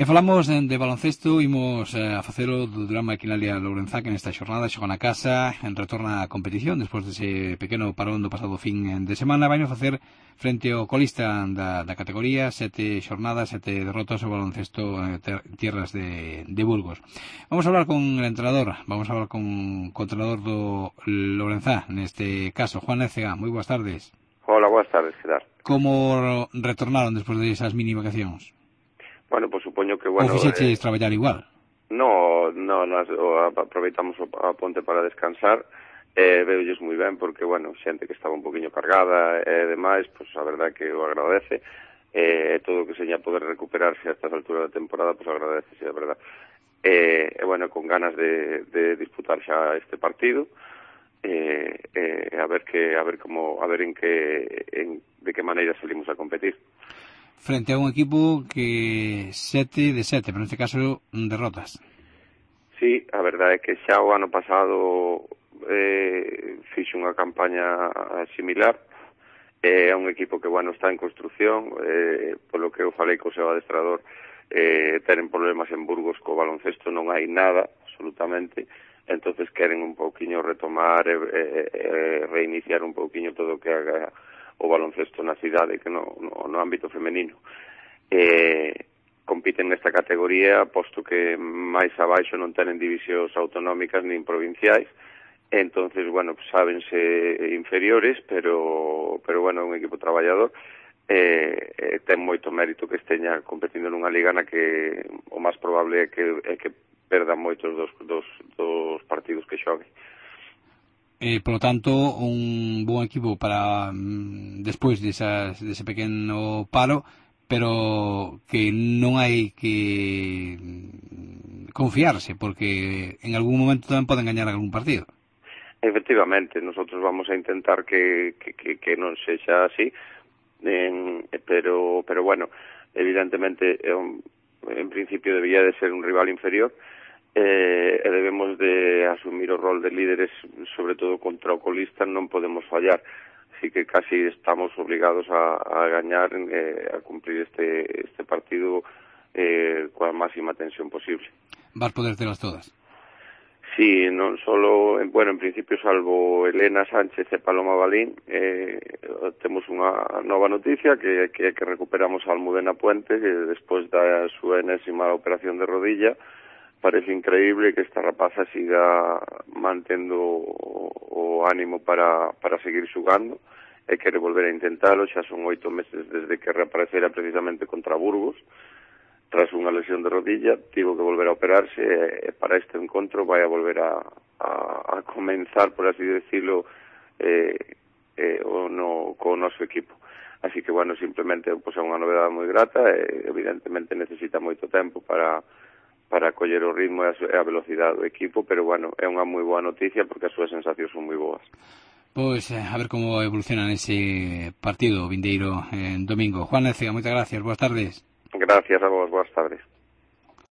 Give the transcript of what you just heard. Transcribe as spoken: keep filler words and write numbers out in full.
E falamos de, de baloncesto, imos eh, a facelo do Durán Maquinaria Lourenzá, que nesta xornada xoga na casa, en retorna a competición, despois dese pequeno parón do pasado fin de semana, vai facer frente ao colista da, da categoría, sete xornadas, sete derrotas ao baloncesto eh, ter, tierras de, de Burgos. Vamos a hablar con el entrenador, vamos a hablar con, con o entrenador do Lourenzá, neste caso, Juan Écega. Moi boas tardes. Hola, boas tardes, que tal? Como retornaron despois de esas mini vacacións? Bueno, pues supoño que, bueno... Ou fixeches eh, traballar igual? No, no, nas, o, aproveitamos a ponte para descansar, e eh, veulles moi ben, porque, bueno, xente que estaba un poquinho cargada e demais, pues a verdade que o agradece, e eh, todo o que seña poder recuperarse a estas alturas da temporada, pues agradece, a verdade. E, eh, bueno, con ganas de, de disputar xa este partido, eh, eh, a ver que, a ver como, a ver en que, en, de que maneira salimos a competir. Frente a un equipo que sete de sete, pero neste caso derrotas. Sí, a verdade é que xa o ano pasado eh, fixe unha campaña similar. É eh, un equipo que, bueno, está en construción, eh, polo que eu falei co seu adestrador, eh, tenen problemas en Burgos co baloncesto, non hai nada, absolutamente, entonces queren un pouquiño retomar e eh, eh, reiniciar un pouquiño todo o que haga o baloncesto na cidade, que no, no, no ámbito femenino. Eh, compiten nesta categoría, posto que máis abaixo non tenen divisións autonómicas nin provinciais, entonces, bueno, sábense inferiores, pero, pero bueno, é un equipo traballador, eh, eh, ten moito mérito que esteña competindo nunha liga na que o máis probable é que, é que perdan moitos dos, dos, dos partidos que xogue. Eh, por lo tanto, un bon equipo para mm, despois desas, dese pequeno paro, pero que non hai que confiarse, porque en algún momento tamén poden gañar algún partido. Efectivamente, nosotros vamos a intentar que, que, que, que non sexa así, en, pero, pero bueno, evidentemente, en, en principio debía de ser un rival inferior, Eh, e debemos de asumir o rol de líderes, sobre todo contra o colista, non podemos fallar, así que casi estamos obligados a, a gañar, eh, a cumplir este, este partido eh, coa máxima tensión posible. Vas poder telas todas? Sí, non solo, bueno, en principio, salvo Elena Sánchez e Paloma Balín, eh, temos unha nova noticia, que, que, que recuperamos a Almudena Puente, que despois da súa enésima operación de rodilla. Parece increíble que esta rapaza siga mantendo o, o ánimo para, para seguir xugando e quere volver a intentalo. Xa son oito meses desde que reaparecera precisamente contra Burgos tras unha lesión de rodilla, tivo que volver a operarse e, e para este encontro vai a volver a, a, a comenzar, por así decirlo, eh, eh, o no, co noso equipo. Así que, bueno, simplemente pues, é unha novedade moi grata e evidentemente necesita moito tempo para para coller o ritmo e a velocidade do equipo, pero, bueno, é unha moi boa noticia porque as súas sensacións son moi boas. Pois, a ver como evoluciona ese partido vindeiro en domingo. Juan Écega, moitas gracias, boas tardes. Gracias a vos, boas tardes.